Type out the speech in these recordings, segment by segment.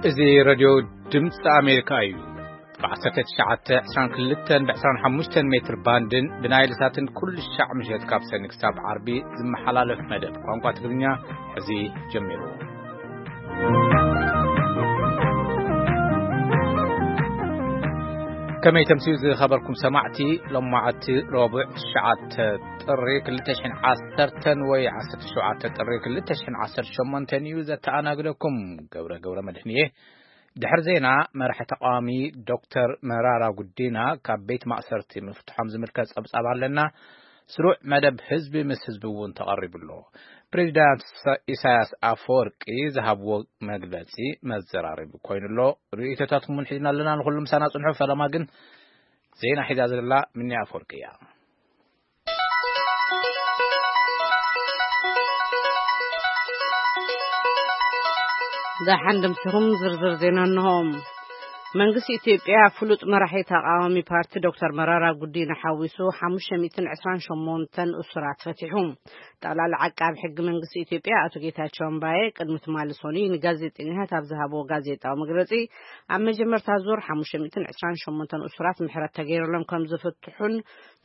እዚ ሬድዮ ድምፂ ኣሜሪካ እዩ። ብ1922 ብ25 ሜትር ባንድን ብናይል ሳትን ኩሉ ሻዕ ምሸት ካብ ሰኒ ክሳብ ዓርቢ ዝመሓላለፍ መደብ ቋንቋ ትግርኛ ሕዚ ጀሚሩ። ከመይ ተምስዩ ዝኸበርኩም ሰማዕቲ፣ ሎማዓቲ ረቡዕ ትሽዓተ ጥሪ ክልተ ሽሕን ዓሰርተን ወይ ዓሰርተ ሸውዓተ ጥሪ ክልተ ሽሕን ዓሰርተ ሸሞንተን እዩ ዘተኣናግደኩም። ገብረ ገብረ መድሕን እየ። ድሕሪ ዜና፣ መራሒ ተቃዋሚ ዶክተር መራራ ጉዲና ካብ ቤት ማእሰርቲ ምፍትሖም ዝምልከት ጸብጻብ ኣለና። ስሩዕ መደብ ህዝቢ ምስ ህዝቢ እውን ተቐሪቡ ኣሎ። ፕሬዚዳንት ኢሳ-፣ ኢሳያስ ኣፈወርቂ ዝሃብዎ መግለጺ መዘራረቢ ኮይኑ ኣሎ። ርእይቶታትኩም እውን ሒዝና ኣለና። ንኹሉ ምሳና ጽንሑ። ፈለማ ግን ዜና ሒዛ ዘላ ምኒ ኣፈወርቂ እያ። ደሓን ደምሲኹም ዝርዝር ዜና እንሆ። መንግስቲ ኢትዮጵያ ፍሉጥ መራሒ ተቃዋሚ ፓርቲ ዶክተር መራራ ጉዲና ሓዊሱ ሓሙሽተ ሚእትን ዕስራን ሸሞንተን እሱራት ፈቲሑ። ጠቕላሊ ዓቃቢ ሕጊ መንግስቲ ኢትዮጵያ ኣቶ ጌታቸው ኣምባየ ቅድሚ ትማሊ ሰኑይ ንጋዜጠኛታት ኣብ ዝሃብዎ ጋዜጣዊ መግለጺ፣ ኣብ መጀመርታ ዙር ሓሙሽተ ሚእትን ዕስራን ሸሞንተን እሱራት ምሕረት ተገይሩሎም ከም ዝፍትሑን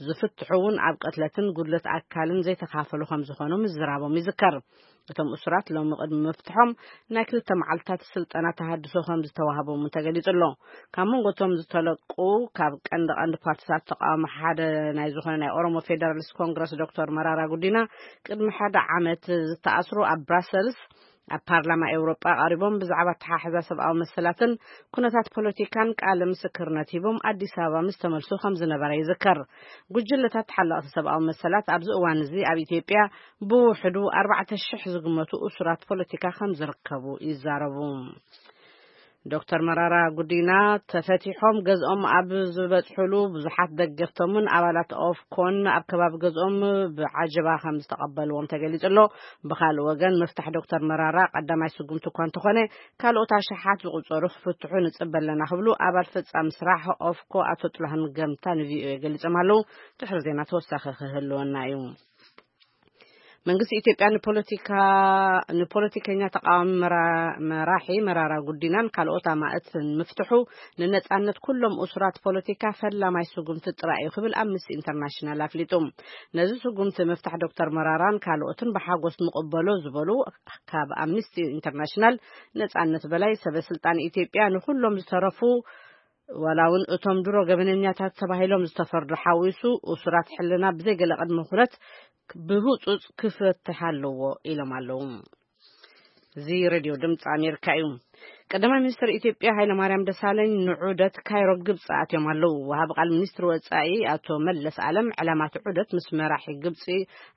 ዝፍትሑ እውን ኣብ ቅትለትን ጉድለት ኣካልን ዘይተኻፈሉ ከም ዝኾኑ ምዝራቦም ይዝከር። እቶም እሱራት ሎሚ ቅድሚ ምፍትሖም ናይ ክልተ መዓልታት ስልጠና ተሃድሶ ከም ዝተዋህቦም እውን ተገሊጹ ኣሎ። ካብ መንጎ እቶም ዝተለቁ ካብ ቀንዲ ቀንዲ ፓርቲታት ተቃውሞ ሓደ ናይ ዝኾነ ናይ ኦሮሞ ፌደራሊስት ኮንግረስ ዶክተር መራራ ጉዲና ቅድሚ ሓደ ዓመት ዝተኣስሩ ኣብ ብራሰልስ ኣብ ፓርላማ ኤውሮጳ ቀሪቦም ብዛዕባ ኣተሓሕዛ ሰብኣዊ መሰላትን ኩነታት ፖለቲካን ቃለ ምስክርነት ሂቦም ኣዲስ ኣበባ ምስ ተመልሱ ከም ዝነበረ ይዝከር። ጉጅለታት ተሓለቕቲ ሰብኣዊ መሰላት ኣብዚ እዋን እዚ ኣብ ኢትዮጵያ ብውሕዱ ኣርባዕተ ሽሕ ዝግመቱ እሱራት ፖለቲካ ከም ዝርከቡ ይዛረቡ። ዶክተር መራራ ጉዲና ተፈቲሖም ገዝኦም ኣብ ዝበጽሕሉ ብዙሓት ደገፍቶምን ኣባላት ኦፍኮን ኣብ ከባቢ ገዝኦም ብዓጀባ ከም ዝተቐበልዎም ተገሊጹ ኣሎ። ብኻልእ ወገን ምፍታሕ ዶክተር መራራ ቀዳማይ ስጉምቲ እኳ እንተኾነ ካልኦት ኣሽሓት ዝቑጸሩ ክፍትሑ ንጽበ ኣለና ክብሉ ኣባል ፈጻሚ ስራሕ ኦፍኮ ኣቶ ጥላሁን ገምታ ንቪኦኤ ገሊጾም ኣለዉ። ድሕሪ ዜና ተወሳኺ ክህልወና እዩ። መንግስቲ ኢትዮጵያ ንፖለቲካ፣ ንፖለቲከኛ ተቃዋሚ መራ-፣ መራሒ መራራ ጉዲናን ካልኦት ኣማእትን ምፍትሑ ንነጻነት ኩሎም እሱራት ፖለቲካ ፈላማይ ስጉምቲ ጥራይ እዩ ክብል ኣምነስቲ ኢንተርናሽናል ኣፍሊጡ። ነዚ ስጉምቲ ምፍታሕ ዶክተር መራራን ካልኦትን ብሓጎስ ንቕበሎ ዝበሉ ካብ ኣምነስቲ ኢንተርናሽናል ነጻነት በላይ ሰበ ስልጣን ኢትዮጵያ ንኩሎም ዝተረፉ ዋላ እውን እቶም ድሮ ገበነኛታት ተባሂሎም ዝተፈርዱ ሓዊሱ እሱራት ሕልና ብዘይ ገለ ቅድመ ኩነት ብህጹጽ ክፈትሕ ኣለዎ ኢሎም ኣለዉ። እዚ ሬድዮ ድምፂ ኣሜሪካ እዩ። ቀዳማይ ሚኒስትር ኢትዮጵያ ሃይለማርያም ደሳለኝ ንዑደት ካይሮ ግብፂ ኣትዮም ኣለዉ። ወሃቢ ቃል ሚኒስትሪ ወፃኢ ኣቶ መለስ ኣለም ዕላማ እቲ ዑደት ምስ መራሒ ግብፂ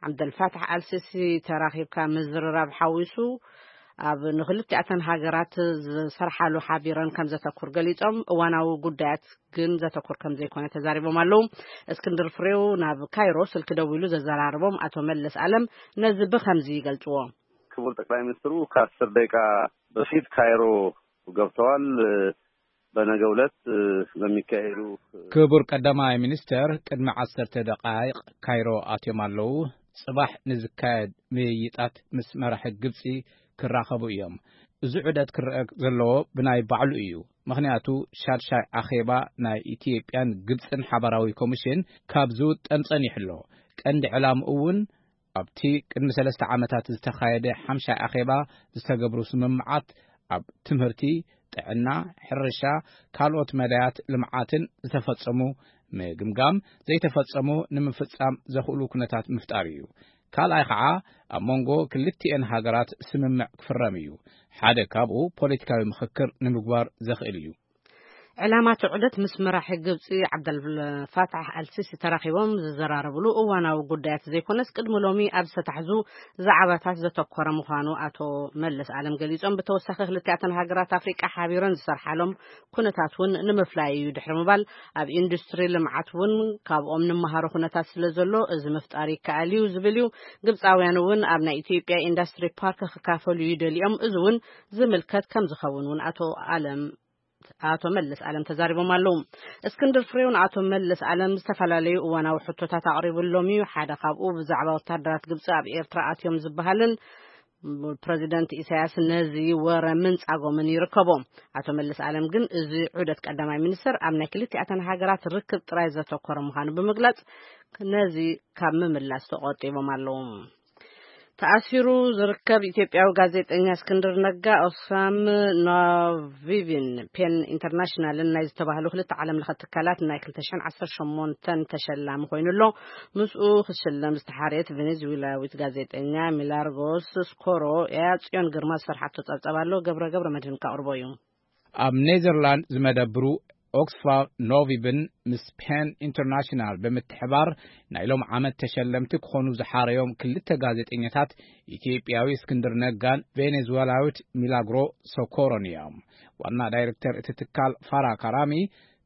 ዓብደልፋታሕ ኣልሲሲ ተራኺብካ ምዝርራብ ሓዊሱ ኣብ ንክልቲኣተን ሃገራት ዝሰርሓሉ ሓቢረን ከም ዘተኩር ገሊጾም፣ እዋናዊ ጉዳያት ግን ዘተኩር ከም ዘይኮነ ተዛሪቦም ኣለዉ። እስክንድር ፍሬው ናብ ካይሮ ስልኪ ደዊሉ ዘዘራረቦም ኣቶ መለስ ኣለም ነዚ ብኸምዚ ይገልጽዎ። ክቡር ጠቅላይ ሚኒስትሩ ከአስር ደቂቃ በፊት ካይሮ ገብተዋል። በነገው ዕለት በሚካሄዱ ክቡር ቀዳማይ ሚኒስተር ቅድሚ ዓሰርተ ደቃይቕ ካይሮ ኣትዮም ኣለዉ። ጽባሕ ንዝካየድ ምይይጣት ምስ መራሒ ግብጺ ክራኸቡ እዮም። እዚ ዑደት ክረአ ዘለዎ ብናይ ባዕሉ እዩ። ምኽንያቱ ሻድሻይ ኣኼባ ናይ ኢትዮጵያን ግብጽን ሓባራዊ ኮሚሽን ካብ ዝውጠን ጸኒሑ ኣሎ። ቀንዲ ዕላምኡ እውን ኣብቲ ቅድሚ ሰለስተ ዓመታት ዝተኻየደ ሓምሻይ ኣኼባ ዝተገብሩ ስምምዓት ኣብ ትምህርቲ፣ ጥዕና፣ ሕርሻ፣ ካልኦት መዳያት ልምዓትን ዝተፈጸሙ ምግምጋም፣ ዘይተፈጸሙ ንምፍጻም ዘኽእሉ ኩነታት ምፍጣር እዩ። ካልኣይ ኸዓ ኣብ መንጎ ክልቲኤን ሃገራት ስምምዕ ክፍረም እዩ። ሓደ ካብኡ ፖለቲካዊ ምኽክር ንምግባር ዘኽእል እዩ። ዕላማ እቲ ዑደት ምስ መራሒ ግብጺ ዓብደልፋታሕ ኣልሲሲ ተራኺቦም ዝዘራረብሉ እዋናዊ ጉዳያት ዘይኮነስ ቅድሚ ሎሚ ኣብ ዝተታሕዙ ዛዕባታት ዘተኮረ ምዃኑ ኣቶ መለስ ኣለም ገሊጾም፣ ብተወሳኺ ክልቲኣተን ሃገራት ኣፍሪቃ ሓቢረን ዝሰርሓሎም ኩነታት እውን ንምፍላይ እዩ ድሕሪ ምባል፣ ኣብ ኢንዱስትሪ ልምዓት እውን ካብኦም ንመሃሮ ኩነታት ስለ ዘሎ እዚ ምፍጣር ይከኣል እዩ ዝብል እዩ። ግብጻውያን እውን ኣብ ናይ ኢትዮጵያ ኢንዱስትሪ ፓርክ ክካፈሉ ይደልዮም፣ እዚ እውን ዝምልከት ከም ዝኸውን እውን ኣቶ ኣለም ኣቶ መለስ ኣለም ተዛሪቦም ኣለዉ። እስክንድር ፍሬው ንኣቶ መለስ ኣለም ዝተፈላለዩ እዋናዊ ሕቶታት ኣቕሪብሎም እዩ። ሓደ ካብኡ ብዛዕባ ወታደራት ግብጺ ኣብ ኤርትራ ኣትዮም ዝበሃልን ፕረዚደንት ኢሳያስ ነዚ ወረ ምንጻጎምን ይርከቦ። ኣቶ መለስ ኣለም ግን እዚ ዑደት ቀዳማይ ሚኒስትር ኣብ ናይ ክልቲኣተን ሃገራት ርክብ ጥራይ ዘተኮረ ምዃኑ ብምግላጽ፣ ነዚ ካብ ምምላስ ተቖጢቦም ኣለዉ። ተኣሲሩ ዝርከብ ኢትዮጵያዊ ጋዜጠኛ እስክንድር ነጋ፣ ኦክስፋም ኖቪቪን ፔን ኢንተርናሽናልን ናይ ዝተባህሉ ክልተ ዓለም ለኸ ትካላት ናይ ክልተ ሽሕን ዓሰርተ ሸሞንተን ተሸላሚ ኮይኑ ኣሎ። ምስኡ ክሽለም ዝተሓርየት ቬኔዙዌላዊት ጋዜጠኛ ሚላርጎስ ስኮሮ እያ። ጽዮን ግርማ ዝሰርሓቶ ጸብጸብ ኣሎ። ገብረ ገብረ መድህን ከቕርቦ እዩ። ኣብ ኔዘርላንድ ዝመደብሩ ኦክስፋም ኖቪብን ምስ ፔን ኢንተርናሽናል ብምትሕባር ናይ ሎም ዓመት ተሸለምቲ ክኾኑ ዝሓረዮም ክልተ ጋዜጠኛታት፣ ኢትዮጵያዊ እስክንድር ነጋን ቬኔዙዌላዊት ሚላግሮ ሶኮሮን እዮም። ዋና ዳይሬክተር እቲ ትካል ፋራ ካራሚ፣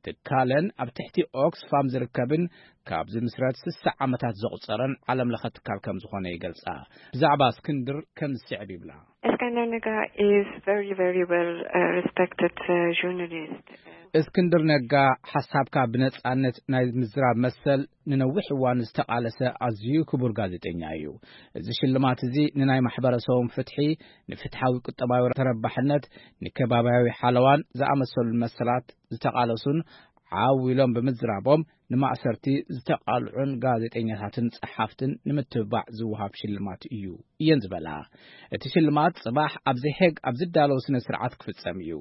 ትካለን ኣብ ትሕቲ ኦክስፋም ዝርከብን ካብ ዝምስረት ስሳ ዓመታት ዘቑጸረን ዓለም ለኸ ትካል ከም ዝኾነ ይገልጻ። ብዛዕባ እስክንድር ከም ዝስዕብ ይብላ። Eskender Naga is very, very well uh, respected uh, journalist. እስክንድር ነጋ ሓሳብካ ብነጻነት ናይ ምዝራብ መሰል ንነዊሕ እዋን ዝተቓለሰ ኣዝዩ ክቡር ጋዜጠኛ እዩ። እዚ ሽልማት እዚ ንናይ ማሕበረሰቦም ፍትሒ፣ ንፍትሓዊ ቁጠባዊ ተረባሕነት፣ ንከባብያዊ ሓለዋን ዝኣመሰሉ መሰላት ዝተቓለሱን ዓው ኢሎም ብምዝራቦም ንማእሰርቲ ዝተቓልዑን ጋዜጠኛታትን ጸሓፍትን ንምትብባዕ ዝወሃብ ሽልማት እዩ እየን ዝበላ። እቲ ሽልማት ጽባሕ ኣብ ዘሄግ ኣብ ዝዳለው ስነ ስርዓት ክፍጸም እዩ።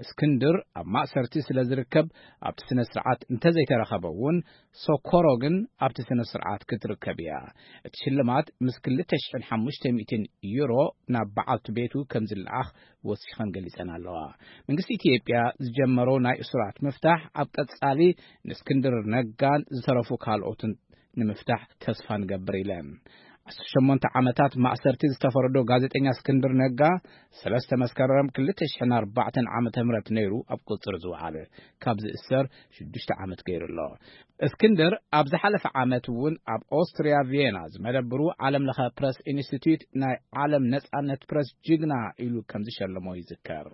እስክንድር ኣብ ማእሰርቲ ስለ ዝርከብ ኣብቲ ስነ ስርዓት እንተዘይተረኸበ እውን፣ ሶኮሮ ግን ኣብቲ ስነ ስርዓት ክትርከብ እያ። እቲ ሽልማት ምስ ክልተ ሽሕን ሓሙሽተ ሚእትን ዩሮ ናብ በዓልቲ ቤቱ ከም ዝለኣኽ ወሲኸን ገሊጸን ኣለዋ። መንግስቲ ኢትዮጵያ ዝጀመሮ ናይ እሱራት ምፍታሕ ኣብ ቀጻሊ ንእስክንድር ነጋን ዝተረፉ ካልኦትን ንምፍታሕ ተስፋ ንገብር ኢለን። ዓሰርተ ሸሞንተ ዓመታት ማእሰርቲ ዝተፈረዶ ጋዜጠኛ እስክንድር ነጋ ሰለስተ መስከረም ክልተ ሽሕን ኣርባዕተን ዓመተ ምህረት ነይሩ ኣብ ቁጽሪ ዝወዓለ። ካብ ዝእሰር ሽዱሽተ ዓመት ገይሩ ኣሎ። እስክንድር ኣብ ዝሓለፈ ዓመት እውን ኣብ ኦስትሪያ ቪየና ዝመደብሩ ዓለም ለኸ ፕረስ ኢንስቲትዩት ናይ ዓለም ነጻነት ፕረስ ጅግና ኢሉ ከም ዝሸለሞ ይዝከር።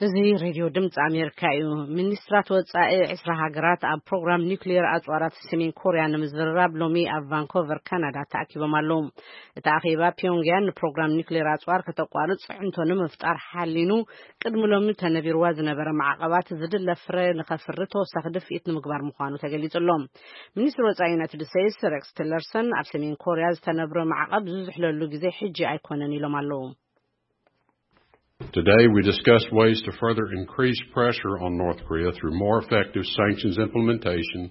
እዚ ሬድዮ ድምፂ ኣሜሪካ እዩ። ሚኒስትራት ወፃኢ ዕስራ ሃገራት ኣብ ፕሮግራም ኒውክሌር ኣፅዋራት ሰሜን ኮርያ ንምዝርራብ ሎሚ ኣብ ቫንኮቨር ካናዳ ተኣኪቦም ኣለዉ። እቲ ኣኼባ ፒዮንግያን ንፕሮግራም ኒውክሌር ኣፅዋር ከተቋርፅ ፅዕንቶ ንምፍጣር ሓሊኑ ቅድሚ ሎሚ ተነቢርዋ ዝነበረ ማዕቐባት ዝድለ ፍረ ንኸፍሪ ተወሳኺ ድፍኢት ንምግባር ምዃኑ ተገሊጹ ኣሎ። ሚኒስትር ወፃኢ ዩናይትድ ስቴትስ ሬክስ ቲለርሰን ኣብ ሰሜን ኮርያ ዝተነብረ ማዕቐብ ዝዝሕለሉ ግዜ ሕጂ ኣይኮነን ኢሎም ኣለዉ። Today, we discussed ways to further increase pressure on North Korea through more effective sanctions implementation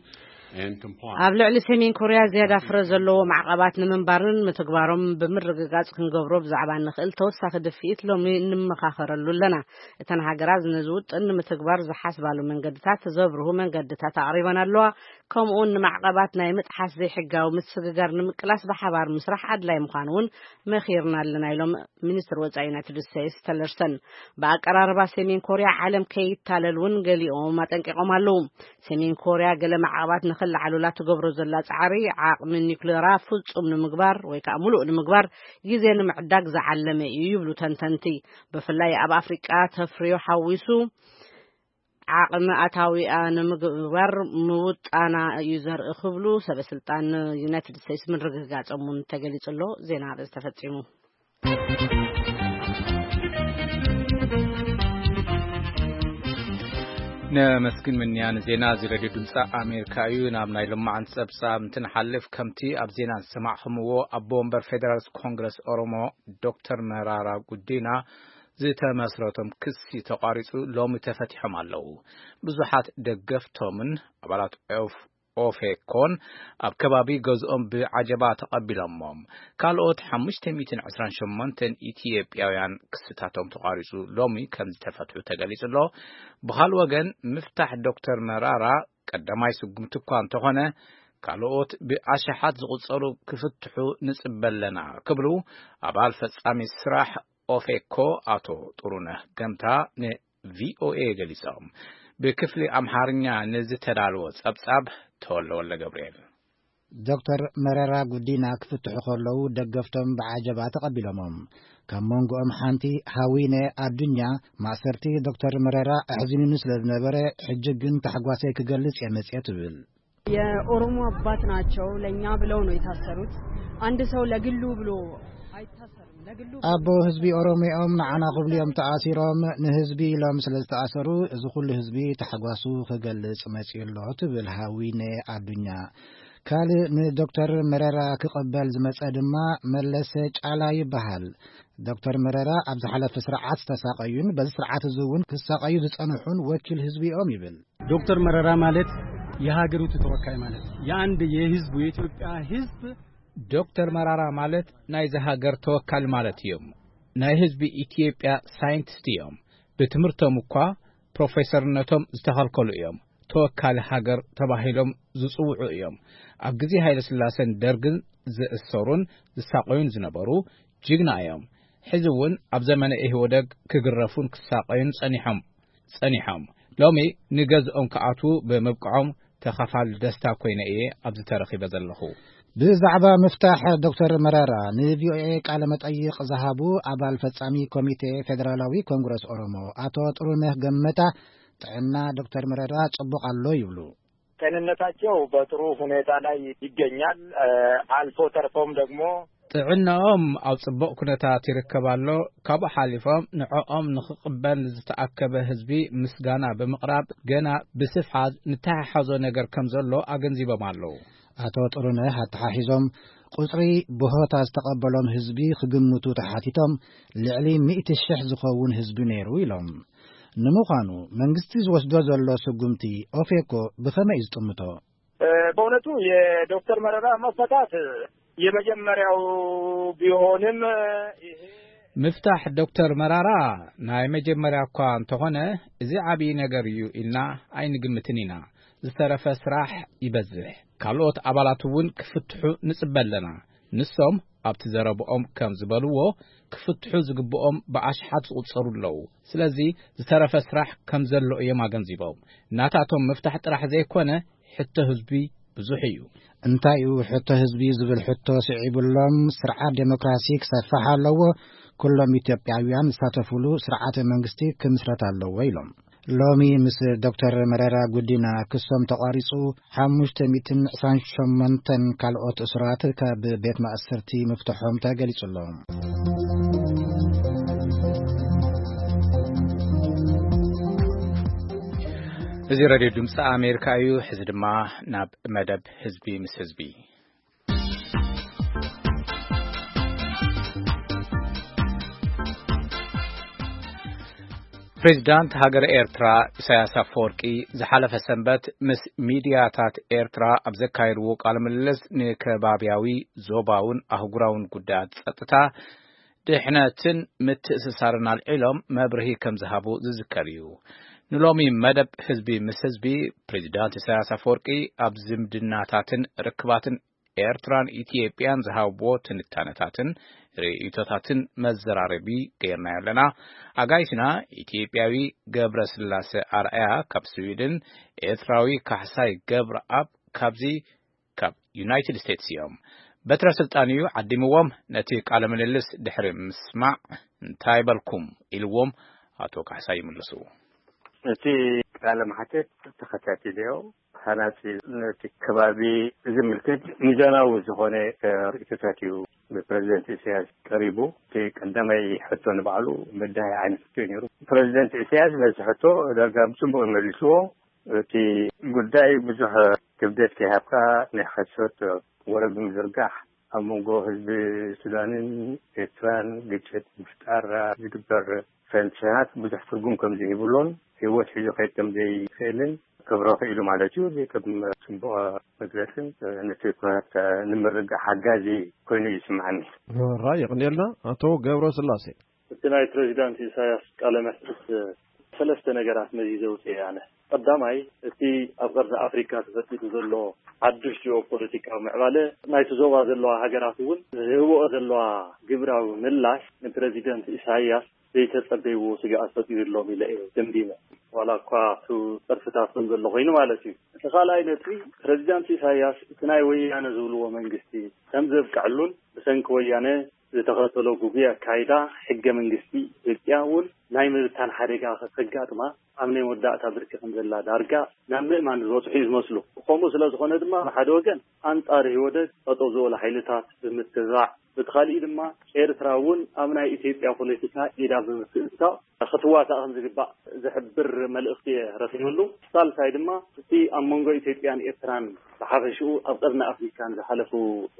and compliance. ኣብ ልዕሊ ሰሜን ኮርያ ዝያዳ ፍረ ዘለዎ ማዕቐባት ንምንባርን ምትግባሮም ብምርግጋጽ ክንገብሮ ብዛዕባ እንኽእል ተወሳኺ ድፍኢት ሎሚ እንመኻኸረሉ ኣለና። እተን ሃገራት ነዚ ውጥን ንምትግባር ዝሓስባሉ መንገድታት ዘብርሁ መንገድታት ኣቕሪበን ኣለዋ። ከምኡውን ንማዕቐባት ናይ ምጥሓስ ዘይሕጋዊ ምስግጋር ንምቅላስ ብሓባር ምስራሕ ኣድላይ ምዃኑ እውን መኺርና ኣለና ኢሎም ሚኒስትር ወጻኢ ዩናይትድ ስቴትስ ተለርሰን። ብኣቀራርባ ሰሜን ኮርያ ዓለም ከይታለል እውን ገሊኦም ኣጠንቂቖም ኣለዉ። ሰሜን ኮርያ ገለ ማዕቐባት ንኽለዓሉላ ትገብሮ ዘላ ጻዕሪ ዓቕሚ ኒውክሌራ ፍጹም ንምግባር ወይ ከዓ ምሉእ ንምግባር ግዜ ንምዕዳግ ዝዓለመ እዩ ይብሉ ተንተንቲ። ብፍላይ ኣብ ኣፍሪቃ ተፍርዮ ሓዊሱ ዓቕሚ ኣታዊኣ ንምግባር ምውጣና እዩ ዘርኢ ክብሉ ሰበ ስልጣን ዩናይትድ ስቴትስ ምርግጋጾም እውን ተገሊጹ ኣሎ። ዜና ኣርእስቲ ተፈጺሙ። ነመስግን ምንያ ንዜና እዚ ሬድዮ ድምፂ ኣሜሪካ እዩ። ናብ ናይ ልማዓንቲ ፀብፃብ እንትንሓልፍ፣ ከምቲ ኣብ ዜና ዝሰማዕኹምዎ ኣቦ ወንበር ፌደራልስ ኮንግረስ ኦሮሞ ዶክተር መራራ ጉዲና ዝተመስረቶም ክሲ ተቋሪፁ ሎሚ ተፈቲሖም ኣለዉ። ብዙሓት ደገፍቶምን ኣባላት ኦፍ ኦፌኮን ኣብ ከባቢ ገዝኦም ብዓጀባ ተቐቢሎሞም። ካልኦት ሓሙሽተ ሚእትን ዕስራን ሸሞንተን ኢትዮጵያውያን ክስታቶም ተቋሪፁ ሎሚ ከም ዝተፈትሑ ተገሊጹ ኣሎ። ብኻል ወገን ምፍታሕ ዶክተር መራራ ቀዳማይ ስጉምቲ እኳ እንተኾነ፣ ካልኦት ብኣሽሓት ዝቑጸሩ ክፍትሑ ንጽበ ኣለና ክብሉ ኣባል ፈጻሚ ስራሕ ኦፌኮ ኣቶ ጥሩነህ ገምታ ንቪኦኤ ገሊጾም። ብክፍሊ ኣምሓርኛ ንዝተዳለወ ጸብጻብ ተወለ ወልደ ገብርኤል። ዶክተር መረራ ጉዲና ክፍትሑ ከለዉ ደገፍቶም ብዓጀባ ተቐቢሎሞም። ካብ መንጎኦም ሓንቲ ሃዊነ ኣዱኛ፣ ማእሰርቲ ዶክተር መረራ ኣሕዚኑኒ ስለ ዝነበረ፣ ሕጂ ግን ታሕጓሰይ ክገልጽ እየ መጽየ ትብል። የኦሮሞ አባት ናቸው፣ ለእኛ ብለው ነው የታሰሩት። አንድ ሰው ለግሉ ብሎ ኣቦ ህዝቢ ኦሮሚኦም ንዓና ክብሉ እዮም ተኣሲሮም። ንህዝቢ ኢሎም ስለ ዝተኣሰሩ እዚ ኩሉ ህዝቢ ታሕጓሱ ክገልጽ መጺኡ ኣሎ ትብል ሃዊነ ኣዱኛ። ካልእ ንዶክተር መረራ ክቕበል ዝመጸ ድማ መለሰ ጫላ ይበሃል። ዶክተር መረራ ኣብ ዝሓለፈ ስርዓት ዝተሳቐዩን በዚ ስርዓት እዚ እውን ክሳቐዩ ዝጸንሑን ወኪል ህዝቢ እዮም ይብል። ዶክተር መረራ ማለት የሀገሪቱ ተወካይ ማለት የአንድ የህዝቡ የኢትዮጵያ ህዝብ። ዶክተር መራራ ማለት ናይዚ ሃገር ተወካሊ ማለት እዮም። ናይ ህዝቢ ኢትዮጵያ ሳይንቲስት እዮም። ብትምህርቶም እኳ ፕሮፌሰርነቶም ዝተኸልከሉ እዮም። ተወካሊ ሃገር ተባሂሎም ዝጽውዑ እዮም። ኣብ ግዜ ሃይለ ስላሰን ደርግን ዝእሰሩን ዝሳቐዩን ዝነበሩ ጅግና እዮም። ሕዚ እውን ኣብ ዘመነ ኢህወደግ ክግረፉን ክሳቐዩን ጸኒሖም ጸኒሖም። ሎሚ ንገዝኦም ክኣትዉ ብምብቅዖም ተኻፋሊ ደስታ ኮይነ እየ ኣብዚ ተረኺበ ዘለኹ። ብዛዕባ ምፍታሕ ዶክተር መረራ ንቪኦኤ ቃለ መጠይቕ ዝሃቡ ኣባል ፈጻሚ ኮሚቴ ፌደራላዊ ኮንግረስ ኦሮሞ ኣቶ ጥሩነህ ገመታ ጥዕና ዶክተር መረራ ጽቡቕ ኣሎ ይብሉ። ጤንነታቸው በጥሩ ሁኔታ ላይ ይገኛል። እ፣ አልፎ ተርፎም ደግሞ ጥዕናኦም ኣብ ጽቡቕ ኩነታት ይርከብ ኣሎ። ካብኡ ሓሊፎም ንዕኦም ንኽቕበል ዝተኣከበ ህዝቢ ምስጋና ብምቕራብ ገና ብስፍሓት ንተሓሓዞ ነገር ከም ዘሎ ኣገንዚቦም ኣለዉ። ኣቶ ጥሩነህ ኣተሓሒዞም ቁጽሪ ብሆታ ዝተቐበሎም ህዝቢ ክግምቱ ተሓቲቶም ልዕሊ ሚእቲ ሽሕ ዝኸውን ህዝቢ ነይሩ ኢሎም። ንምዃኑ መንግስቲ ዝወስዶ ዘሎ ስጉምቲ ኦፌኮ ብኸመይ እዩ ዝጥምቶ? እ፣ በእውነቱ የዶክተር መረራ መፈታት የመጀመሪያው ቢሆንም፣ እ፣ ይሄ ምፍታሕ ዶክተር መራራ ናይ መጀመርያ እኳ እንተኾነ፣ እዚ ዓብዪ ነገር እዩ ኢልና ኣይንግምትን ኢና። ዝተረፈ ስራሕ ይበዝሕ። ካልኦት ኣባላት እውን ክፍትሑ ንጽበ ኣለና። ንሶም ኣብቲ ዘረብኦም ከም ዝበልዎ፣ ክፍትሑ ዝግብኦም ብኣሽሓት ዝቑጸሩ ኣለዉ። ስለዚ ዝተረፈ ስራሕ ከም ዘሎ እዮም ኣገንዚቦም። ናታቶም ምፍታሕ ጥራሕ ዘይኮነ፣ ሕቶ ህዝቢ ብዙሕ እዩ። እንታይ እዩ ሕቶ ህዝቢ ዝብል ሕቶ ስዒቡሎም፣ ስርዓት ዴሞክራሲ ክሰፍሕ ኣለዎ፣ ኩሎም ኢትዮጵያውያን ዝሳተፉሉ ስርዓተ መንግስቲ ክምስረት ኣለዎ ኢሎም። ሎሚ ምስ ዶክተር መረራ ጉዲና ክሶም ተቋሪጹ፣ ሓሙሽተ ሚእትን ዕስራን ሸሞንተን ካልኦት እሱራት ካብ ቤት ማእሰርቲ ምፍትሖም ተገሊጹ ኣሎ። እዚ ሬድዮ ድምፂ ኣሜሪካ እዩ። ሕዚ ድማ ናብ መደብ ህዝቢ ምስ ህዝቢ። ፕሬዚዳንት ሃገረ ኤርትራ ኢሳያስ ኣፈወርቂ ዝሓለፈ ሰንበት ምስ ሚድያታት ኤርትራ ኣብ ዘካየድዎ ቃለ ምልልስ፣ ንከባብያዊ፣ ዞባውን ኣህጉራውን ጉዳያት ጸጥታ፣ ድሕነትን ምትእስሳርን ኣልዒሎም መብርሂ ከም ዝሃቡ ዝዝከር እዩ። ንሎሚ መደብ ህዝቢ ምስ ህዝቢ፣ ፕሬዚዳንት ኢሳያስ ኣፈወርቂ ኣብ ዝምድናታትን ርክባትን ኤርትራን ኢትዮጵያን ዝሃብዎ ትንታነታትን ርእይቶታትን መዘራረቢ ገይርናዮ ኣለና። ኣጋይሽና፣ ኢትዮጵያዊ ገብረ ስላሴ ኣርኣያ ካብ ስዊድን፣ ኤርትራዊ ካሕሳይ ገብረኣብ ካብዚ ካብ ዩናይትድ ስቴትስ እዮም። በትረ ስልጣን እዩ ዓዲምዎም። ነቲ ቃለ ምልልስ ድሕሪ ምስማዕ፣ እንታይ በልኩም ኢልዎም ኣቶ ካሕሳይ ይምልሱ። እቲ ቃለ መሓተት ተኸታቲለዮ። ሃናጺ፣ ነቲ ከባቢ ዝምልከት ሚዛናዊ ዝኾነ፣ እ፣ ርእይቶታት እዩ ብፕረዚደንት ኢሳያስ ቀሪቡ። እቲ ቀዳማይ ሕቶ ንባዕሉ በዳሂ ዓይነት ሕቶ እዩ ነይሩ። ፕረዚደንት ኢሳያስ ነዚ ሕቶ ዳርጋ ብጽቡቕ መሊስዎ። እቲ ጉዳይ ብዙሕ ክብደት ከይሃብካ ናይ ሓሶት ወረ ብምዝርጋሕ፣ ኣብ መንጎ ህዝቢ ሱዳንን ኤርትራን ግጭት ምፍጣር ዝግበር ፈንትታት ብዙሕ ትርጉም ከም ዘይብሉን ህይወት ሒዙ ከይድ ከም ዘይክእልን ክብሮ ክኢሉ ማለት እዩ። እዚ ከም ጽቡቕ መግለጽን ነቲ ኩነታት ንምርግጋእ ሓጋዚ ኮይኑ እዩ ዝስምዓኒ። ራይ፣ የቕንየልና ኣቶ ገብረ ስላሴ። እቲ ናይ ፕሬዚዳንት ኢሳያስ ቃለ መሕትት ሰለስተ ነገራት መዚዘ ውፅእ ኣነ። ቀዳማይ፣ እቲ ኣብ ቀርኒ ኣፍሪካ ተፈጢሩ ዘሎ ሓዱሽ ጂኦፖለቲካዊ ምዕባለ ናይቲ ዞባ ዘለዋ ሃገራት እውን ዝህብኦ ዘለዋ ግብራዊ ምላሽ ንፕረዚደንት ኢሳያስ ዘይተጸበይዎ ስግኣት ፈጢሩሎም ኢለ እየ ደምዲመ። ዋላ እኳ እቲ ጸርፍታት ከም ዘሎ ኮይኑ ማለት እዩ። እቲ ካልኣይ ነጥቢ፣ ፕረዚዳንት ኢሳያስ እቲ ናይ ወያነ ዝብልዎ መንግስቲ ከም ዘብቅዐሉን ብሰንኪ ወያነ ዝተኸተሎ ግጉይ ኣካይዳ ሕገ መንግስቲ ኢትዮጵያ እውን ናይ ምብታን ሓደጋ ከጋጥማ ኣብ ናይ መወዳእታ ብርኪ ከም ዘላ ዳርጋ ናብ ምእማን ዝበፅሑ እዩ ዝመስሉ። ከምኡ ስለ ዝኾነ ድማ ብሓደ ወገን ኣንጻር ኢህወደግ ጠጠው ዝበሉ ሓይልታት ብምትብባዕ፣ በቲ ካሊእ ድማ ኤርትራ እውን ኣብ ናይ ኢትዮጵያ ፖለቲካ ኢዳ ብምትእትታው ክትዋሳእ ከም ዝግባእ ዝሕብር መልእኽቲ እየ ረኺበሉ። ሳልሳይ ድማ እቲ ኣብ መንጎ ኢትዮጵያን ኤርትራን ብሓፈሽኡ ኣብ ቀርኒ ኣፍሪካ ንዝሓለፉ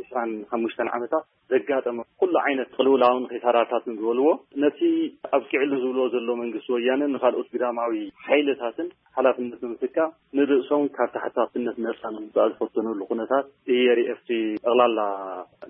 ዕስራን ሓሙሽተን ዓመታት ዘጋጠመ ኩሉ ዓይነት ቅልውላውን ኺሳራታትን ዝበልዎ ነቲ ኣብቂዕሉ ዝብልዎ ዘሎ መንግስቲ ወያነ ንካልኦት ግዳማዊ ሓይልታትን ሓላፍነት ብምትካ ንርእሶም ካብ ተሓታትነት ነፃ ንምውፃእ ዝፈተኑሉ ኩነታት እየ ርእየ ኣብቲ ጠቕላላ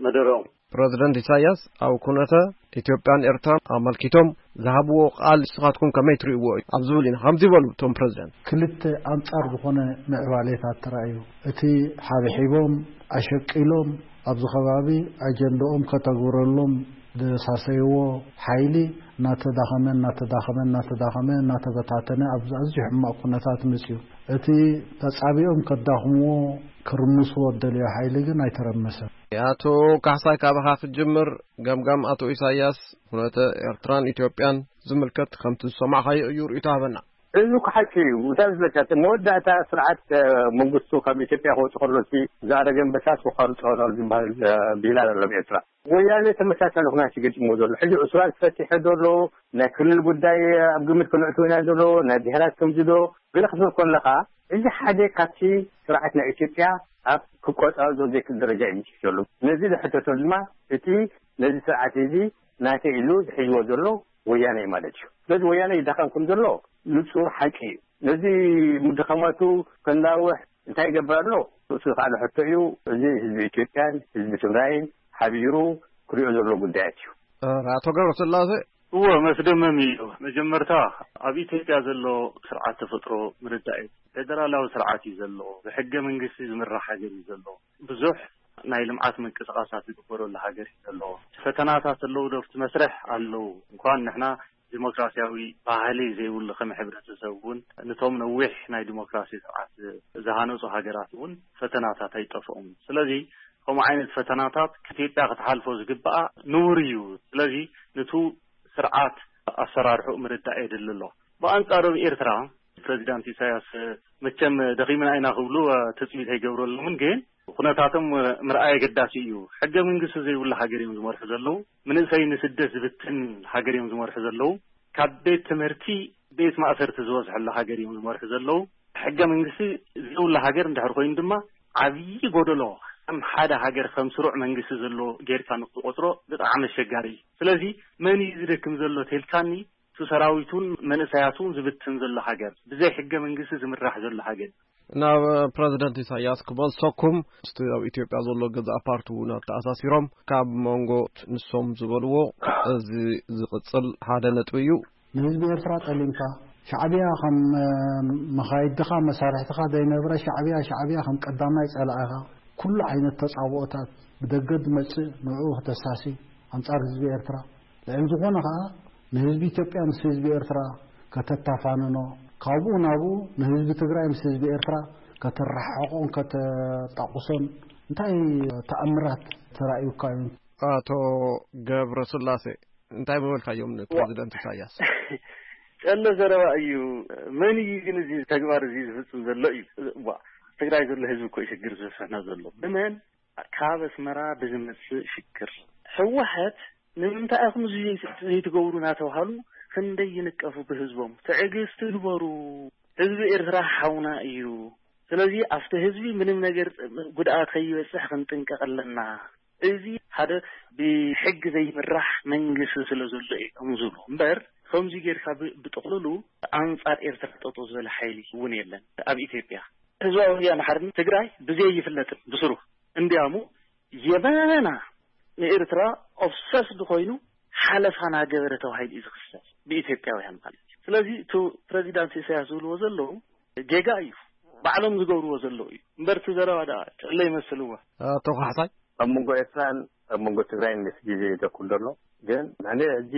መደረኦም። ፕረዚደንት ኢሳያስ ኣብ ኩነተ ኢትዮጵያን ኤርትራን ኣመልኪቶም ዝሃብዎ ቃል ንስኻትኩም ከመይ ትርእይዎ እዩ ኣብ ዝብል ኢና ከምዚ ይበሉ እቶም ፕረዚደንት። ክልተ ኣንጻር ዝኾነ ምዕባሌታት ተራእዩ። እቲ ሓብሒቦም ኣሸቂሎም ኣብዚ ከባቢ ኣጀንዳኦም ከተግብረሎም ዝሳሰይዎ ሓይሊ እናተዳኸመ እናተዳኸመ እናተዳኸመ እናተበታተነ ኣብዚ ኣዝዩ ሕማቕ ኩነታት መፅዩ። እቲ ተጻቢኦም ከዳኽምዎ ክርምስዎ ዝደልዮ ሓይሊ ግን ኣይተረመሰን። ኣቶ ካሕሳይ ካባኻ ክጅምር፣ ገምጋም ኣቶ ኢሳያስ ኩነተ ኤርትራን ኢትዮጵያን ዝምልከት ከምቲ ዝሰማዕኻዮ እዩ ርእይቶ ሃበና። እዚ እኮ ሓቂ እዩ። እንታይ ዝብለካ፣ እቲ መወዳእታ ስርዓት፣ እ፣ መንግስቱ ካብ ኢትዮጵያ ክወጽእ ከሎ፣ እቲ ዝኣረገ ኣንበሳ ክቆርጾ ነው ዝበሃል፣ እ፣ ብሂል ኣሎ ኣብ ኤርትራ። ወያነ ተመሳሳሊ ኩነታት ይገጥሞ ዘሎ። ሕጂ ዕስራን ተፈቲሑ ዘሎ፣ ናይ ክልል ጉዳይ ኣብ ግምት ክነእትዎ ኢና ዘሎ፣ ናይ ብሄራት ከምዚ ዶ፣ ገለ ክትብል ከለኻ፣ እዚ ሓደ ካብቲ ስርዓት ናይ ኢትዮጵያ ኣብ ክቆጻጸሮ ዘይክእል ደረጃ እዩ በጺሑ ዘሎ። ነዚ ዝሕተቶ ድማ እቲ ነዚ ስርዓት እዚ ናተይ ኢሉ ዝሕዝዎ ዘሎ ወያነ እዩ ማለት እዩ። ስለዚ ወያነ ይዳኸም ከም ዘሎ ንጹር ሓቂ እዩ። ነዚ ምድኻማቱ ከናውሕ እንታይ ይገብር ኣሎ? ርእሱ ዝኸኣለ ሕቶ እዩ። እዚ ህዝቢ ኢትዮጵያን ህዝቢ ትግራይን ሓቢሩ ክሪኦ ዘሎ ጉዳያት እዩ። እ፣ ኣቶ ገብረስላሴ። እወ፣ መስደመም እዩ። መጀመርታ ኣብ ኢትዮጵያ ዘሎ ስርዓት ተፈጥሮ ምርዳእ እዩ። ፌደራላዊ ስርዓት እዩ ዘሎ። ብሕገ መንግስቲ ዝምራሕ ሃገር እዩ ዘሎ። ብዙሕ ናይ ልምዓት ምንቅስቃሳት ዝግበረሉ ሃገር እዩ ዘሎ። ፈተናታት ኣለዉ ዶ ኣብቲ መስርሕ? ኣለዉ። እንኳን ንሕና ዲሞክራሲያዊ ባህሊ ዘይብሉ ከም ሕብረተሰብ እውን፣ ነቶም ነዊሕ ናይ ዲሞክራሲ ስርዓት ዝሃነጹ ሃገራት እውን ፈተናታት ኣይጠፍኦምን። ስለዚ ከምኡ ዓይነት ፈተናታት ኢትዮጵያ ክትሓልፎ ዝግብኣ ንቡር እዩ። ስለዚ ነቱ ስርዓት ኣሰራርሕኡ ምርዳእ የድሊ ኣሎ። ብኣንጻሩ ኣብ ኤርትራ ፕረዚዳንት ኢሳያስ መቸም ደኺምና ኢና ክብሉ ትጽቢት ኣይገብረሎምን፣ ግን ኩነታቶም ምርኣይ ኣገዳሲ እዩ። ሕገ መንግስቲ ዘይብሉ ሃገር እዮም ዝመርሑ ዘለዉ። መንእሰይ ንስደት ዝብትን ሃገር እዮም ዝመርሑ ዘለዉ። ካብ ቤት ትምህርቲ ቤት ማእሰርቲ ዝበዝሐሉ ሃገር እዮም ዝመርሑ ዘለዉ። ሕገ መንግስቲ ዘይብሉ ሃገር እንድሕር ኮይኑ ድማ ዓብዪ ጎደሎ፣ ከም ሓደ ሃገር ከም ስሩዕ መንግስቲ ዘሎ ጌርካ ንክትቆጽሮ ብጣዕሚ ኣሸጋሪ እዩ። ስለዚ መን እዩ ዝደክም ዘሎ ተልካኒ፣ እቲ ሰራዊቱን መንእሰያቱን ዝብትን ዘሎ ሃገር፣ ብዘይ ሕገ መንግስቲ ዝምራሕ ዘሎ ሃገር። ናብ ፕረዚደንት ኢሳያስ ክመልሰኩም፣ ምስቲ ኣብ ኢትዮጵያ ዘሎ ገዛእ ፓርቲ እውን ኣተኣሳሲሮም ካብ መንጎ ንሶም ዝበልዎ እዚ ዝቕጽል ሓደ ነጥቢ እዩ። ንህዝቢ ኤርትራ ጠሊምካ፣ ሻዕብያ ከም፣ እ፣ መኻይድኻ መሳርሕትኻ ዘይነብረ ሻዕብያ፣ ሻዕብያ ከም ቀዳማይ ጸላኢኻ፣ ኩሉ ዓይነት ተጻብኦታት ብደገ ዝመጽእ ንዕኡ ክተሳሲ ኣንጻር ህዝቢ ኤርትራ፣ ልዕሊ ዝኾነ ኸኣ ንህዝቢ ኢትዮጵያ ምስ ህዝቢ ኤርትራ ከተታፋንኖ፣ ካብኡ ናብኡ ንህዝቢ ትግራይ ምስ ህዝቢ ኤርትራ ከተረሓሕቆን ከተጣቁሶን እንታይ ተኣምራት ተራእዩካ እዩ? ኣቶ ገብረስላሴ፣ እንታይ ምበልካዮም ንፕረዚደንት ኢሳያስ? ጨለ ዘረባ እዩ። መን እዩ ግን እዚ ተግባር እዚ ዝፍጽም ዘሎ እዩ? ዋ፣ ትግራይ ዘሎ ህዝቢ እኮ እዩ ሽግር ዝበዝሐና ዘሎ። ብመን? ካብ ኣስመራ ብዝመጽእ ሽግር። ህወሓት ንምንታይ ኢኹም እዚ ዘይትገብሩ እናተባሃሉ ክንደይ ይንቀፉ ብህዝቦም። ትዕግስቲ ግበሩ። ህዝቢ ኤርትራ ሓውና እዩ። ስለዚ ኣብቲ ህዝቢ ምንም ነገር ጉድኣት ከይበጽሕ ክንጥንቀቕ ኣለና። እዚ ሓደ ብሕጊ ዘይምራሕ መንግስቲ ስለ ዘሎ እዮም ዝብሉ እምበር፣ ከምዚ ጌርካ ብ-፣ ብጥቕልሉ ኣንጻር ኤርትራ ጠጠው ዝበለ ሓይሊ እውን የለን ኣብ ኢትዮጵያ። ህዝባዊ ወያነ ሓርነት ትግራይ ብዘይ ይፍለጥን ብስሩ እንዲያሙ የመና ንኤርትራ ኦብሰስድ ኮይኑ ሓለፋ ናገበረ ተባሂሉ እዩ ዝኽሰስ ብኢትዮጵያውያን ማለት እዩ። ስለዚ እቲ ፕረዚዳንት ኢሳያስ ዝብልዎ ዘለዉ ጌጋ እዩ፣ ባዕሎም ዝገብርዎ ዘለዉ እዩ እምበር እቲ ዘረባ ደኣ ጨለ ይመስልዎ። ኣቶ ካሕሳይ? ኣብ መንጎ ኤርትራን ኣብ መንጎ ትግራይን ምስ ግዜ ይደኩር ዘሎ። ግን ኣነ ሕጂ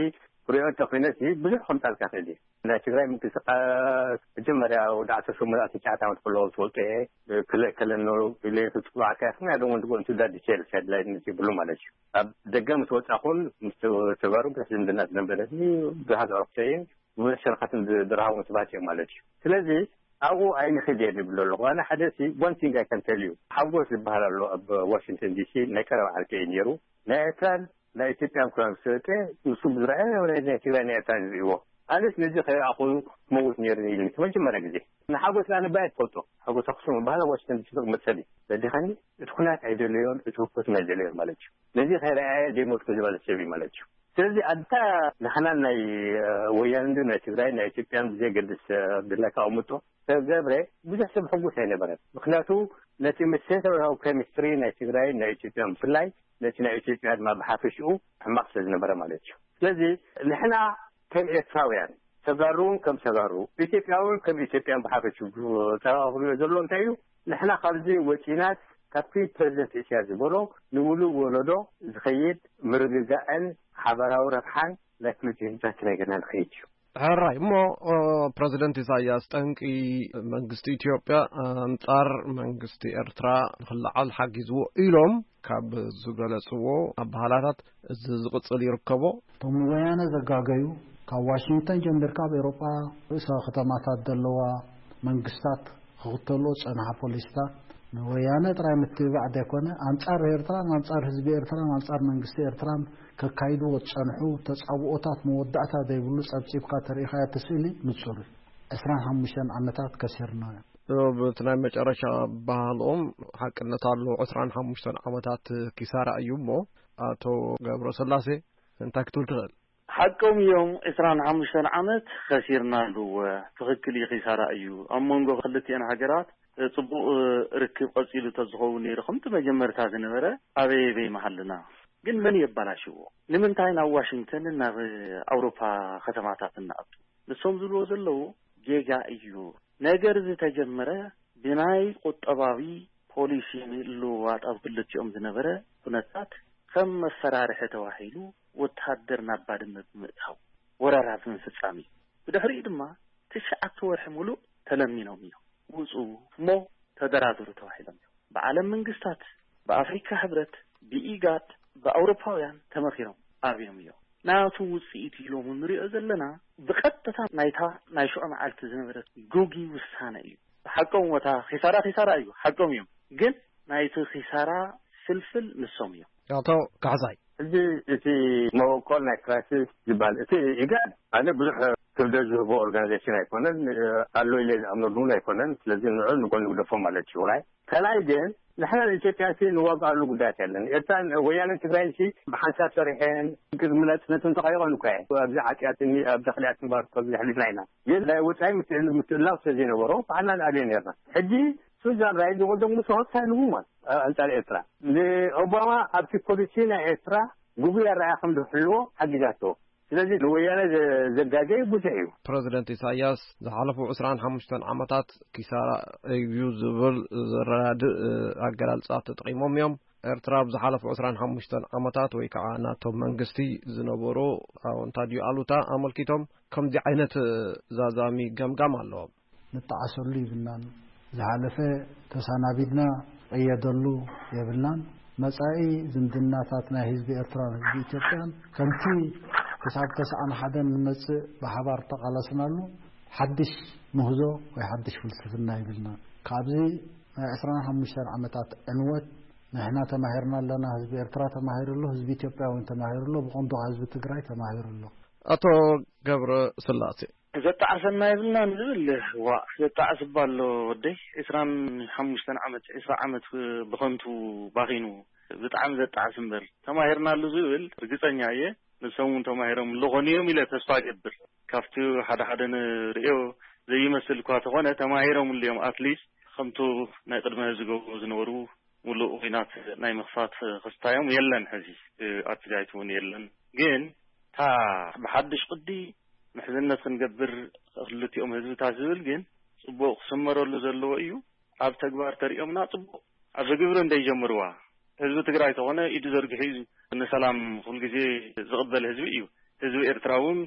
ክሪኦ እንተኾይነ፣ እዚ ብዙሕ ከምጻልካ ክእል እዩ። ናይ ትግራይ ምንቅስቃስ መጀመርያ ወዲ ዓሰርተ ሸሞንተ ዓሰርተ ትሽዓተ ዓመት ከለዉ ትፈልጦ እየ። ክልእ ከለኖ ኢለ ክጽዋዕካ፣ ምክንያቱ እውን ትጎ-፣ እንቱ ዳ ዲቴልስ ሄድላይንስ ይብሉ ማለት እዩ። ኣብ ደገ ምስ ወጻኹን ምስ ተጋሩ ብዙሕ ዝምድና ዝነበረኒ ብዙሓት ኣዕሩኽተይን ብዙሕ ሸርኻትን ዝ-፣ ዝረሃቡ ሰባት እዮም ማለት እዩ። ስለዚ ኣብኡ ኣይንኽድ እየ ዝብል ኣለኹ። ኣነ ሓደ ሲ፣ one thing I can tell you፣ ሓጎስ ዝበሃል ኣሎ ኣብ ዋሽንግተን ዲሲ፣ ናይ ቀረባ ዓርከይ እዩ ነይሩ። ናይ ኤርትራን ናይ ኢትዮጵያን ኩና ምስ ወፀ፣ ንሱ ብዝረኣዮ ናይ ናይ ትግራይ ናይ ኤርትራን ዝርእይዎ። ኣነስ ነዚ ከይረኣኹ ክመውት ነይሩ ኢሉ እቲ መጀመርያ ግዜ። ንሓጎስ ኣነ ባይ ትፈልጦ፣ ሓጎስ ኣክሱም ባህላ ዋሽንግተን ዲሲ ዝቕመጥ ሰብ እዩ። በዲኻኒ እቲ ኩናት ኣይደለዮን፣ እቲ ህኮት ኣይደለዮን ማለት እዩ። ነዚ ከይረኣየ ዘይሞትኩ ዝበለ ሰብ እዩ ማለት እዩ። ስለዚ ኣንታ ንሕና ናይ ወያነ እንዶ ናይ ትግራይ ናይ ኢትዮጵያን ብዘይገድስ ብለካ ኣምጦ ሰብ ገብረ ብዙሕ ሰብ ሕጉስ ኣይነበረን። ምክንያቱ ነቲ መሰረታዊ ኬሚስትሪ ናይ ትግራይ ናይ ኢትዮጵያ ብፍላይ ነቲ ናይ ኢትዮጵያ ድማ ብሓፈሽኡ ሕማቕ ስለ ዝነበረ ማለት እዩ። ስለዚ ንሕና ከም ኤርትራውያን ተጋሩ እውን ከም ተጋሩ ኢትዮጵያ እውን ከም ኢትዮጵያን ብሓፈሽኡ ተራኽብዮ ዘሎ እንታይ እዩ? ንሕና ካብዚ ወፂናት ካብቲ ፕሬዚደንት ኢሳያስ ዝበሎ ንውሉድ ወለዶ ዝኸይድ ምርግጋእን ሓበራዊ ረብሓን ናይ ክልቲኡ ህዝብታት ክነገርና ንኸይድ እዩ። ሕራይ እሞ፣ ፕረዚደንት ኢሳያስ ጠንቂ መንግስቲ ኢትዮጵያ ኣንጻር መንግስቲ ኤርትራ ንክለዓል ሓጊዝዎ ኢሎም ካብ ዝገለጽዎ ኣበሃላታት እዚ ዝቕጽል ይርከቦ። እቶም ንወያነ ዘጋገዩ፣ ካብ ዋሽንግተን ጀሚርካ ኣብ ኤውሮጳ ርእሰ ከተማታት ዘለዋ መንግስታት ክኽተልኦ ዝጸንሓ ፖሊሲታት፣ ንወያነ ጥራይ ምትብባዕ ዘይኮነ፣ ኣንጻር ኤርትራን ኣንጻር ህዝቢ ኤርትራን ኣንጻር መንግስቲ ኤርትራን ከካይድዎ ዝጸንሑ ተጻብኦታት መወዳእታ ዘይብሉ ጸብጺብካ ተሪኢኻዮ እቲ ስእሊ ንጹር እዩ። ዕስራን ሓሙሽተን ዓመታት ከሲርና። እብ እቲ ናይ መጨረሻ ባህልኦም ሓቅነት ኣለዎ። ዕስራን ሓሙሽተን ዓመታት ኪሳራ እዩ እሞ፣ ኣቶ ገብረ ስላሴ እንታይ ክትብል ትኽእል? ሓቆም እዮም። ዕስራን ሓሙሽተን ዓመት ከሲርና ኣለዎ። ትኽክል እዩ፣ ኪሳራ እዩ። ኣብ መንጎ ክልቲኤን ሃገራት ጽቡቕ ርክብ ቀጺሉ ተዝኸውን ነይሩ፣ ከምቲ መጀመርታ ዝነበረ ኣበይ ኣበይ መሃልና። ግን መን የባላሽዎ? ንምንታይ ናብ ዋሽንግተንን ናብ ኣውሮፓ ከተማታት እንኣቱ? ንሶም ዝብልዎ ዘለዉ ጌጋ እዩ። ነገር ዝተጀመረ ብናይ ቁጠባዊ ፖሊሲ ምልውዋጥ ኣብ ክልቲኦም ዝነበረ ኩነታት ከም መፈራርሒ ተባሂሉ ወተሃደር ናብ ባድመ ብምእታው ወረራ ብምፍጻም እዩ። ብድሕሪኡ ድማ ትሽዓተ ወርሒ ሙሉእ ተለሚኖም እዮም። ውጹ እሞ ተደራደሩ ተባሂሎም እዮም። ብዓለም መንግስታት፣ ብኣፍሪካ ሕብረት፣ ብኢጋድ፣ ብኣውሮፓውያን ተመኺሮም ኣብዮም እዮም። ናቱ ውጽኢት ኢሎም እንሪኦ ዘለና ብቐጥታ ናይታ ናይ ሽዑ መዓልቲ ዝነበረት ግጉይ ውሳነ እዩ። ሓቆም ወታ ኺሳራ ኺሳራ እዩ፣ ሓቆም እዮም። ግን ናይቲ ኺሳራ ፍልፍል ንሶም እዮም። ኣቶ ካሕሳይ። ሕጂ እቲ መበቆል ናይ ክራይሲስ ዝበሃል እቲ ኢጋድ ኣነ ብዙሕ ክብደት ዝህቦ ኦርጋናይዜሽን ኣይኮነን፣ ኣሎ ኢለ ዝኣምነሉ እውን ኣይኮነን። ስለዚ ንዑ ንጎን ንግደፎ ማለት እዩ። ራይ ካልኣይ ግን ንሕና ንኢትዮጵያ ሲ ንዋጋኣሉ ጉዳያት የለን። ኤርትራ ወያነ ትግራይ ሲ ብሓንሳብ ሰሪሐን ቅድሚ ናጽነት እንተኸይኾን እኳ እየን ኣብዚ ዓጽያትኒ ኣብ ዳኽልያት ንባር ከዚ ሕሊፍና ኢና። ግን ናይ ወጻኢ ምትእል- ምትእላው ስለ ዘይነበሮ ባዕልና ንኣብዮ ነርና። ሕጂ ሱዛን ራይዝ ወልዶም ምስ ሆታ ንህሙማን ኣንጻር ኤርትራ ንኦባማ ኣብቲ ፖሊሲ ናይ ኤርትራ ግጉይ ኣረኣያ ከም ዝሕልዎ ሓጊዛቶ። ስለዚ ንወያነ ዘ- ዘጋገዩ ብዙሕ እዩ። ፕረዚደንት ኢሳያስ ዝሓለፉ ዕስራን ሓሙሽተን ዓመታት ኪሳራ እዩ ዝብል ዘረዳድእ ኣገላልጻ ተጠቒሞም እዮም። ኤርትራ ኣብ ዝሓለፉ ዕስራን ሓሙሽተን ዓመታት ወይ ከዓ ናቶም መንግስቲ ዝነበሩ ኣወንታ ድዩ ኣሉታ ኣመልኪቶም ከምዚ ዓይነት ዛዛሚ ገምጋም ኣለዎም። ንጠዓሰሉ ይብልናን ዝሓለፈ ተሰናቢድና ቀየደሉ የብልናን። መጻኢ ዝምድናታት ናይ ህዝቢ ኤርትራን ህዝቢ ኢትዮጵያን ከምቲ ክሳብ ተስዓን ሓደን ንመጽእ ብሓባር ተቓለስናሉ ሓድሽ ምህዞ ወይ ሓድሽ ፍልስፍና ይብልና። ካብዚ ናይ ዕስራን ሓሙሽተን ዓመታት ዕንወት ንሕና ተማሂርና ኣለና። ህዝቢ ኤርትራ ተማሂሩ ኣሎ፣ ህዝቢ ኢትዮጵያ እውን ተማሂሩ ኣሎ፣ ብቐንዱ ህዝቢ ትግራይ ተማሂሩ ኣሎ። ኣቶ ገብረ ስላሴ። ዘጣዕሰና የብልናን ዝብል፣ ዋ ዘጣዕስ እባ ኣሎ ወደይ። ዕስራን ሓሙሽተን ዓመት፣ ዕስራ ዓመት ብኸንቱ ባኺኑ። ብጣዕሚ ዘጣዕስ እምበር፣ ተማሂርናሉ ዝብል ርግጸኛ እየ። ንሶም እውን ተማሂሮም ኣለኾኑ እዮም ኢለ ተስፋ እገብር። ካብቲ ሓደ ሓደ ንርእዮ ዘይመስል እኳ ተኾነ፣ ተማሂሮምሉ እዮም። ኣትሊስት ከምቱ ናይ ቅድመ ዝገብሩ ዝነበሩ፣ ሙሉእ ኹናት ናይ ምኽፋት ክስታዮም የለን። ሕዚ ኣትጋይት እውን የለን። ግን እታ ብሓድሽ ቅዲ ምሕዝነት ክንገብር ክልቲኦም ህዝብታት ዝብል ግን ጽቡቕ ክስመረሉ ዘለዎ እዩ። ኣብ ተግባር ተሪኦምና ጽቡቕ፣ ኣብ ግብሪ እንደይጀምርዋ። ህዝቢ ትግራይ ተኾነ ኢዱ ዘርጊሑ እዩ ንሰላም ኩሉ ግዜ ዝቕበል ህዝቢ እዩ። ህዝቢ ኤርትራ እውን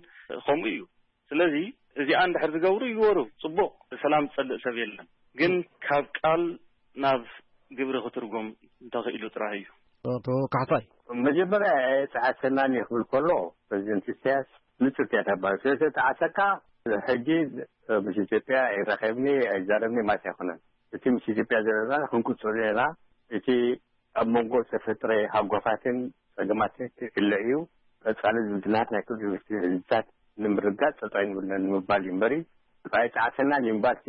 ከምኡ እዩ። ስለዚ እዚኣ እንድሕር ዝገብሩ ይግበሩ፣ ጽቡቕ፣ ሰላም ዝጸልእ ሰብ የለን። ግን ካብ ቃል ናብ ግብሪ ክትርጎም እንተኽኢሉ ጥራይ እዩ። ኣቶ ካሕሳይ። መጀመርያ ኣይጠዓሰናን እዩ ክብል ከሎ ፕረዚደንት ኢሳያስ ንጹር እያ ተባሂሉ። ስለ ዝተጠዓሰካ ሕጂ ምስ ኢትዮጵያ ኣይራኸብኒ ኣይዛረብኒ ማለት ኣይኮነን። እቲ ምስ ኢትዮጵያ ዘለና ክንቅጽሎ ኢና። እቲ ኣብ መንጎ ዝተፈጥረ ሃጓፋትን ጸገማት ክእለ እዩ። ቀጻሊ ዝምድናታት ናይ ክልቲኡ ህዝብታት ንምርጋጽ ጠጠው ኣይንብለን ንምባል እዩ እምበሪ፣ ኣይጠዓሰናን እዩ ምባልሲ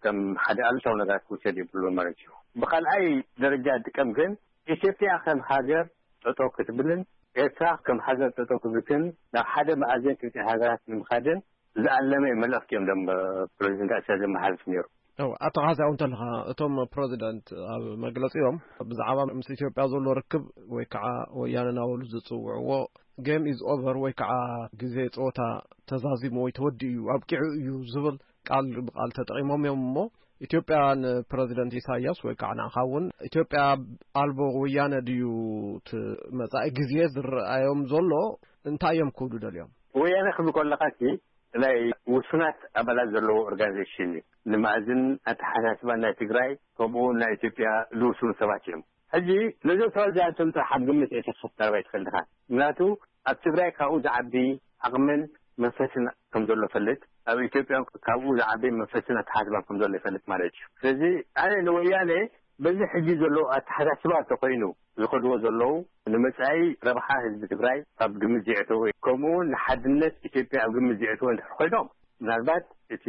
ከም ሓደ ኣሉታዊ ነገር ክውሰድ የብሉን ማለት እዩ። ብኻልኣይ ደረጃ ዝጥቀም ግን፣ ኢትዮጵያ ከም ሃገር ጠጠው ክትብልን ኤርትራ ከም ሃገር ጠጠው ክትብልን ናብ ሓደ መኣዝን ክልቲኣን ሃገራት ንምኻድን ዝኣለመ መልእኽቲ እዮም ደም ፕሬዚደንት ኢሳያስ ዘመሓላልፍ ነይሩ። ኣቶ ካሕሳይ፣ እንተለኻ እቶም ፕረዚደንት ኣብ መግለጺኦም ብዛዕባ ምስ ኢትዮጵያ ዘሎ ርክብ ወይ ከዓ ወያነ እናበሉ ዝጽውዕዎ game is over ወይ ከዓ ግዜ ጸወታ ተዛዚሙ ወይ ተወዲኡ እዩ ኣብቂዑ እዩ ዝብል ቃል ብቃል ተጠቂሞም እዮም። እሞ ኢትዮጵያ ንፕረዚደንት ኢሳያስ ወይ ከዓ ንዓኻ እውን ኢትዮጵያ ኣልቦ ወያነ ድዩ እቲ መጻኢ ግዜ ዝረኣዮም ዘሎ? እንታይ እዮም ክብሉ ደልዮም? ወያነ ክብል ከለኻሲ ናይ ውሱናት ኣባላት ዘለዎ ኦርጋናይዜሽን እዩ። ንመኣዝን ኣተሓሳስባን ናይ ትግራይ ከምኡ እውን ናይ ኢትዮጵያ ዝውስኑ ሰባት እዮም። ሕጂ ነዞም ሰባት እዚኣቶም ጥራሕ ኣብ ግምት እተኸፍ ቀረባ ይትኽእል ድኻ? ምክንያቱ ኣብ ትግራይ ካብኡ ዝዓቢ ዓቕምን መንፈስን ከም ዘሎ ፈልጥ፣ ኣብ ኢትዮጵያ ካብኡ ዝዓቢ መንፈስን ኣተሓሳስባን ከም ዘሎ ይፈልጥ ማለት እዩ። ስለዚ ኣነ ንወያነ በዚ ሕጂ ዘሎ ኣተሓሳስባ እንተኮይኑ ዝኸድዎ ዘለዉ ንመጻኢ ረብሓ ህዝቢ ትግራይ ኣብ ግምት ዘየእተወ፣ ከምኡ እውን ንሓድነት ኢትዮጵያ ኣብ ግምት ዘየእተወ እንድሕር ኮይኖም፣ ምናልባት እቲ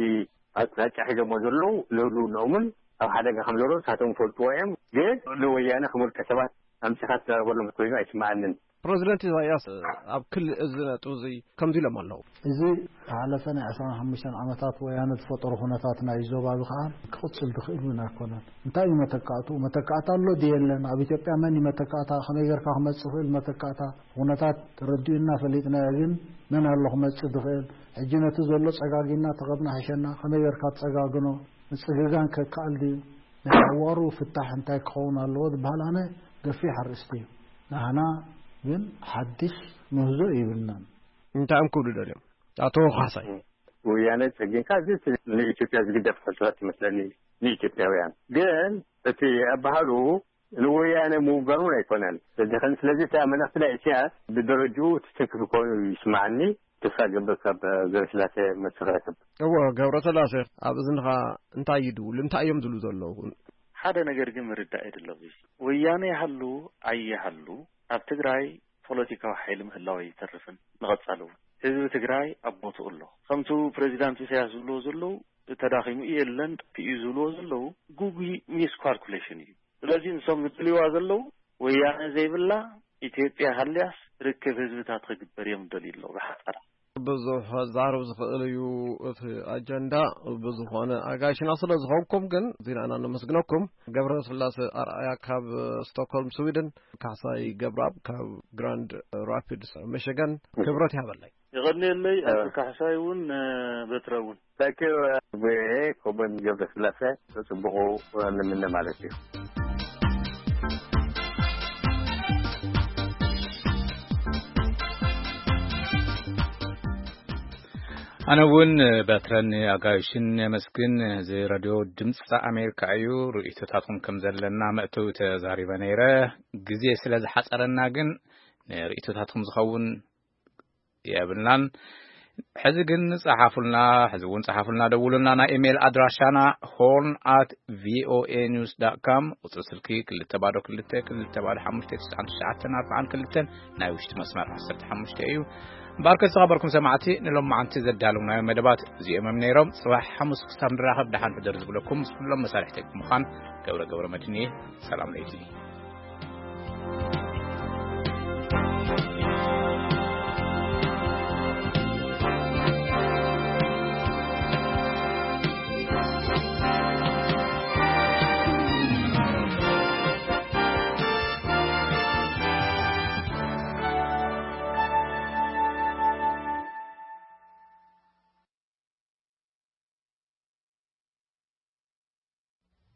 ኣቅጣጫ ሒዞሞ ዘለዉ ንህልውንኦምን ኣብ ሓደጋ ከም ዘለዉ ንሳቶም ይፈልጥዎ እዮም። ግን ንወያነ ከም ውልቀ ሰባት ኣምጺኻ ትዛረበሎም ኮይኑ ኣይስምዓንን። ፕረዚደንት ኢሳያስ ኣብ ክሊ እዚ ነጥቢ እዚ ከምዚ ኢሎም ኣለዉ። እዚ ዝሓለፈ ናይ ዕስራን ሓሙሽተን ዓመታት ወያነ ዝፈጠሮ ኩነታት ናይ ዞባ እዚ ከዓ ክቕፅል ዝኽእል እውን ኣይኮነን። እንታይ እዩ መተካእትኡ? መተካእታ ኣሎ ድዩ የለን? ኣብ ኢትዮጵያ መን እዩ መተካእታ? ከመይ ጌርካ ክመፅእ ይኽእል መተካእታ? ኩነታት ተረዲኡና ፈሊጥናዮ፣ ግን መን ኣሎ ክመፅእ ዝኽእል? ሕጂ ነቲ ዘሎ ፀጋጊና ተቐብና ሕሸና፣ ከመይ ጌርካ ትፀጋግኖ? ምፅግጋን ከከኣል ድዩ? ናይ ሓዋሩ ፍታሕ እንታይ ክኸውን ኣለዎ ዝበሃል ኣነ ገፊሕ ኣርእስቲ እዩ። ንዓና ግን ሓድሽ ምህዞ የብልናን። እንታይ እዮም ክብሉ ደልዮም ኣቶ ካሕሳይ? ወያነ ጸጊንካ እዚ ንኢትዮጵያ ዝግደፍ ሕቶታት ይመስለኒ ንኢትዮጵያውያን። ግን እቲ ኣባህሉ ንወያነ ምውጋኑ እውን ኣይኮነን። ስለዚ ከን ስለዚ እታ መልእኽቲ ናይ ኢሳያስ ብደረጅኡ ትትንክፍ ኮይኑ ይስማዓኒ። ተስፋ ገብር ካብ ገብረስላሴ መልሲ ክረክብ። እወ ገብረስላሴ ኣብ እዝንኻ እንታይ ይድውል እንታይ እዮም ዝብሉ ዘለዉ? ሓደ ነገር ግን ምርዳእ የድለኹ። ወያነ ይሃሉ ኣይሃሉ ኣብ ትግራይ ፖለቲካዊ ሓይሊ ምህላው ኣይተርፍን። ንቐጻሊ እውን ህዝቢ ትግራይ ኣብ ቦትኡ ኣሎ። ከምቲ ፕሬዚዳንት ኢሳያስ ዝብልዎ ዘለዉ ተዳኺሙ እዩ የለን እዩ ዝብልዎ ዘለዉ ጉጉይ ሚስኳልኩሌሽን እዩ። ስለዚ ንሶም ዝደልይዋ ዘለዉ ወያነ ዘይብላ ኢትዮጵያ ሃልያስ ርክብ ህዝብታት ክግበር እዮም ዝደልዩ ኣለዉ ብሓጻር። ብዙሕ ክዛረብ ዝኽእል እዩ እቲ ኣጀንዳ። ብዝኾነ ኣጋይሽና ስለ ዝኾንኩም ግን ዜናና ነመስግነኩም። ገብረ ስላሴ ኣርኣያ ካብ ስቶክሆልም ስዊድን፣ ካሕሳይ ገብረኣብ ካብ ግራንድ ራፒድስ ሚሽገን ክብረት ይሃበለይ። የቐንየለይ ኣቶ ካሕሳይ እውን በትረ እውን። Thank you ቪኦኤ። ኮበን ገብረስላሴ ተጽብቑ ንምነ ማለት እዩ። ኣነ እውን በትረን ኣጋይሽን የመስግን። እዚ ሬድዮ ድምፂ ኣሜሪካ እዩ። ርእይቶታትኩም ከም ዘለና መእተዊ ተዛሪበ ነይረ። ግዜ ስለ ዝሓፀረና ግን ንርእይቶታትኩም ዝኸውን የብልናን። ሕዚ ግን ጸሓፉልና፣ ሕዚ እውን ጸሓፉልና፣ ደውሉልና። ናይ ኢሜይል ኣድራሻና ሆርን ኣት ቪኦኤ ኒውስ ዳት ካም፣ ቁጽሪ ስልኪ ክልተ ባዶ ክልተ ክልተ ባዶ ሓሙሽተ ትሽዓን ትሽዓተን ኣርባዓን ክልተን፣ ናይ ውሽጢ መስመር ዓሰርተ ሓሙሽተ እዩ። እምበኣርከ ዝተኸበርኩም ሰማዕቲ፣ ንሎማዓንቲ ዘዳለውናዮም መደባት እዚኦም እዮም ነይሮም። ጽባሕ ሓሙስ ክሳብ ንራኸብ ደሓን ሕደሩ ዝብለኩም ምስ ኩሎም መሳርሕተይ ብምዃን ገብረ ገብረ መድህን እየ። ሰላም ለይቲ።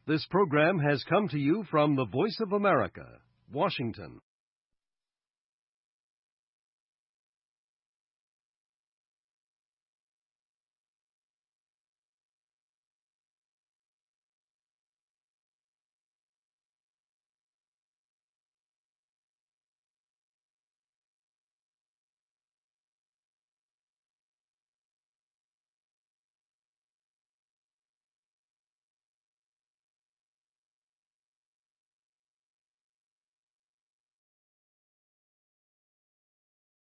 This program has come to you from the Voice of America, Washington.